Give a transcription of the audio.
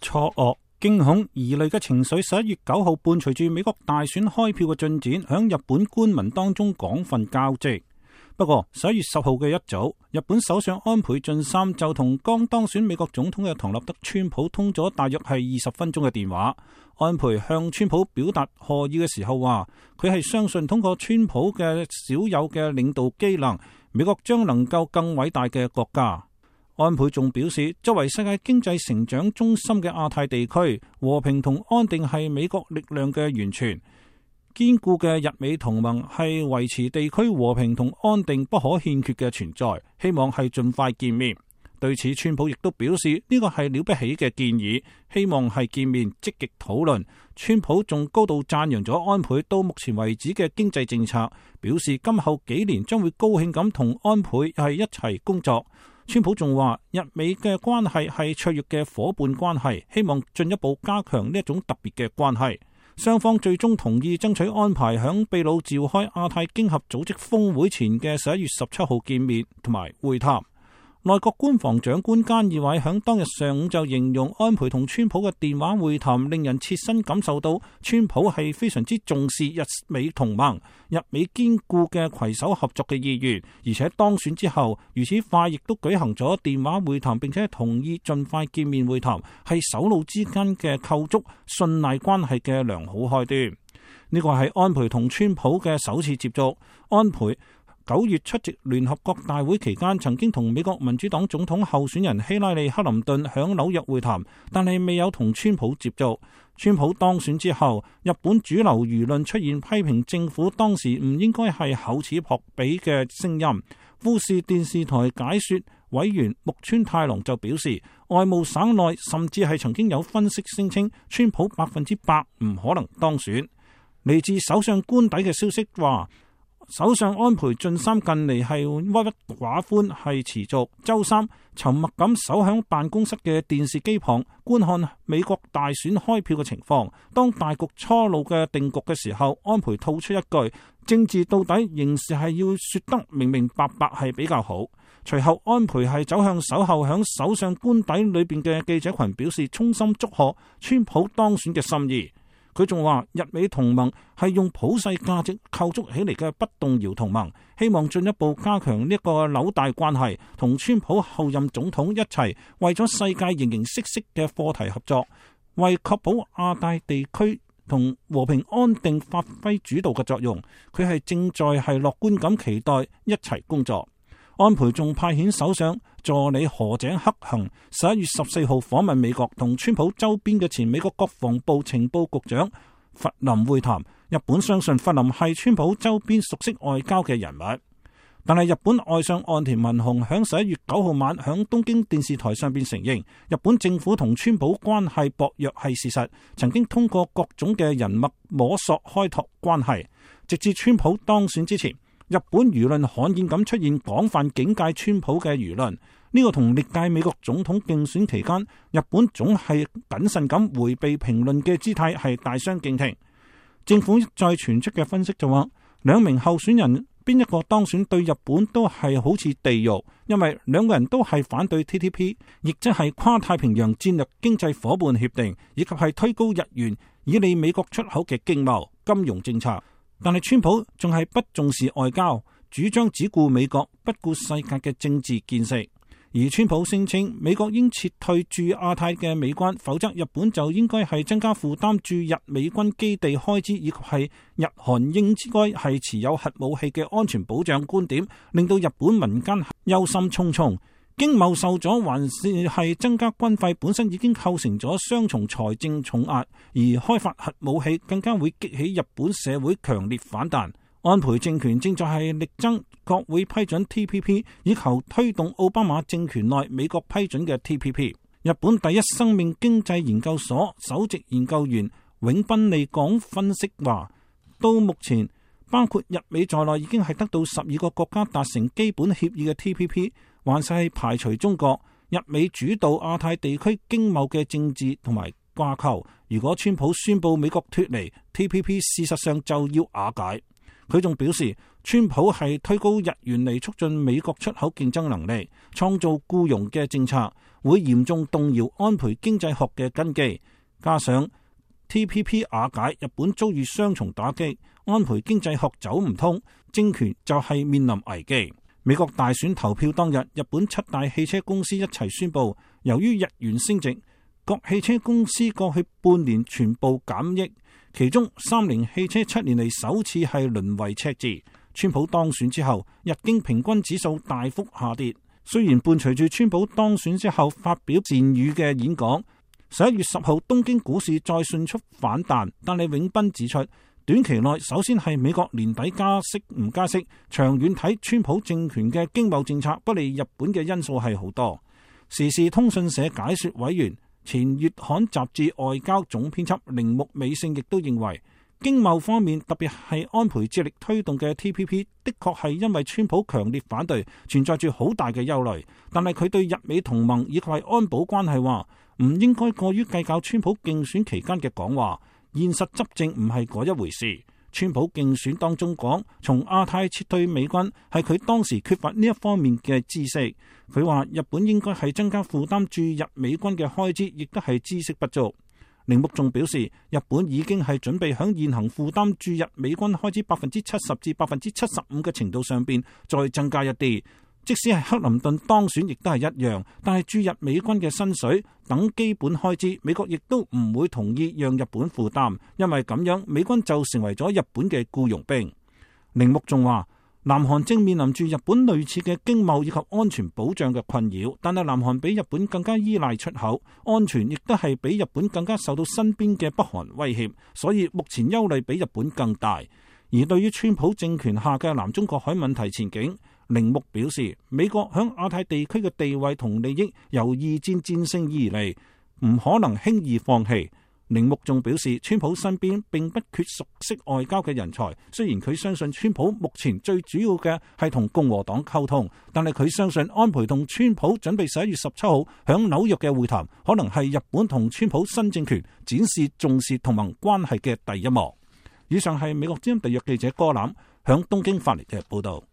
錯愕、驚恐、疑慮嘅情緒11月9號伴隨住美國大選開票嘅進展，響日本官民當中廣泛交織。不過11月10號嘅一早，日本首相安倍晉三就同剛當選美國總統嘅唐納德川普通咗大約係20分鐘嘅電話。安倍向川普表達賀意嘅時候話，佢係相信通過川普嘅少有嘅領導機能，美國將能夠更偉大嘅國家。安倍仲表示，作為世界經濟成長中心嘅亞太地區，和平同安定係美國力量嘅源泉。堅固嘅日美同盟係維持地區和平同安定不可欠缺嘅存在，希望係盡快見面。對此，川普亦都表示呢個係了不起嘅建議，希望係見面積極討論。川普仲高度讚揚咗安倍到目前為止嘅經濟政策，表示今後幾年將會高興咁同安倍係一齊工作。川普仲話，日美嘅關係係卓越嘅夥伴關係，希望進一步加強呢一種特別嘅關係。雙方最終同意爭取安排響秘魯召開亞太經合組織峰會前嘅11月17號見面同埋會談。內閣官房長官菅義偉響當日上午就形容安倍同川普嘅電話會談令人切身感受到川普係非常之重視日美同盟、日美堅固嘅攜手合作嘅意願，而且當選之後如此快亦都舉行咗電話會談，並且同意盡快見面會談，係首腦之間嘅構築信賴關係嘅良好開端。呢個係安倍同川普嘅首次接觸。安倍9月出席聯合國大會期間，曾經同美國民主黨總統候選人希拉里·克林頓響紐約會談，但係未有同川普接觸。川普當選之後，日本主流輿論出現批評政府當時唔應該係厚此薄彼嘅聲音。富士電視台解說委員木村太郎就表示，外務省內甚至係曾經有分析聲稱，川普100%唔可能當選。嚟自首相官邸嘅消息話，首相安倍晉三近嚟係鬱鬱寡歡，係持續。周三沉默咁守響辦公室嘅電視機旁觀看美國大選開票嘅情況。當大局初露嘅定局嘅時候，安倍吐出一句：政治到底仍是係要說得明明白白係比較好。隨後安倍係走向守候響首相官邸裏邊嘅記者群，表示衷心祝賀川普當選嘅心意。佢仲話，日美同盟係用普世價值構築起嚟嘅不動搖同盟，希望進一步加強呢個紐帶關係，同川普後任總統一齊為咗世界形形色色嘅課題合作，為確保亞太地區同和平安定發揮主導嘅作用。佢係正在係樂觀咁期待一齊工作。安倍仲派遣首相助理河井克行11月14號訪問美國，同川普周邊嘅前美國國防部情報局長弗林會談。日本相信弗林係川普周邊熟悉外交嘅人物，但係日本外相岸田文雄響11月9號晚響東京電視台上邊承認，日本政府同川普關係薄弱係事實，曾經通過各種嘅人脈摸索開拓關係，直至川普當選之前。日本輿論罕見咁出現廣泛警戒川普嘅輿論，呢個同歷屆美國總統競選期間日本總係謹慎咁迴避評論嘅姿態係大相徑庭。政府再傳出嘅分析就話，兩名候選人邊一個當選對日本都係好似地獄，因為兩個人都係反對 TPP， 亦即係跨太平洋戰略經濟夥伴協定，以及係推高日元以利美國出口嘅經貿金融政策。但係川普仲係不重視外交，主張只顧美國，不顧世界嘅政治見識。而川普聲稱美國應撤退駐亞太嘅美軍，否則日本就應該係增加負擔駐日美軍基地開支，以及係日韓應該係持有核武器嘅安全保障觀點，令到日本民間憂心忡忡。經貿受阻，還是係增加軍費本身已經構成咗雙重財政重壓，而開發核武器更加會激起日本社會強烈反彈。安倍政權正在係力爭國會批准 TPP， 以求推動奧巴馬政權內美國批准嘅 TPP。日本第一生命經濟研究所首席研究員永濱利港分析話，到目前包括日美在內已經係得到12個國家達成基本協議嘅 TPP， 還是係排除中國。日美主導亞太地區經貿嘅政治同埋掛鈎，如果川普宣布美國脫離 TPP， 事實上就要瓦解。佢仲表示，川普係推高日元嚟促進美國出口競爭能力，創造僱傭嘅政策，會嚴重動搖安倍經濟學嘅根基。加上 TPP 瓦解，日本遭遇雙重打擊，安倍經濟學走唔通，政權就係面臨危機。美國大選投票當日，日本7大汽車公司一齊宣布，由於日元升值，各汽車公司過去半年全部減益，其中三菱汽車7年嚟首次係淪為赤字。川普當選之後，日經平均指數大幅下跌。雖然伴隨住川普當選之後發表善語嘅演講，11月10號東京股市再迅速反彈，但係永斌指出，短期內首先係美國年底加息唔加息，長遠睇川普政權嘅經貿政策不利日本嘅因素係好多。時事通訊社解說委員、前月刊雜誌外交總編輯鈴木美勝亦都認為，經貿方面特別係安倍致力推動嘅 TPP 的確係因為川普強烈反對，存在住好大嘅憂慮。但係佢對日美同盟以及係安保關係話，唔應該過於計較川普競選期間嘅講話，現實執政唔係嗰一回事。川普競選當中講，從亞太撤退美軍係佢當時缺乏呢一方面嘅知識。佢話日本應該係增加負擔駐日美軍嘅開支，亦都係知識不足。鈴木仲表示，日本已經係準備響現行負擔駐日美軍開支70%至75%嘅程度上邊再增加一啲。即使係克林頓當選，亦都係一樣。但係駐日美軍嘅薪水等基本開支，美國亦都唔會同意讓日本負擔，因為咁樣美軍就成為咗日本嘅僱傭兵。鈴木仲話，南韓正面臨住日本類似嘅經貿以及安全保障嘅困擾，但係南韓比日本更加依賴出口，安全亦都係比日本更加受到身邊嘅北韓威脅，所以目前憂慮比日本更大。而對於川普政權下嘅南中國海問題前景，鈴木表示，美國響亞太地區嘅地位同利益由二戰戰勝而嚟，唔可能輕易放棄。鈴木仲表示，川普身邊並不缺熟悉外交嘅人才，雖然佢相信川普目前最主要嘅係同共和黨溝通，但係佢相信安倍同川普準備11月17號響紐約嘅會談，可能係日本同川普新政權展示重視同盟關係嘅第一幕。以上係美國之音特約記者柯欖響東京發嚟嘅報道。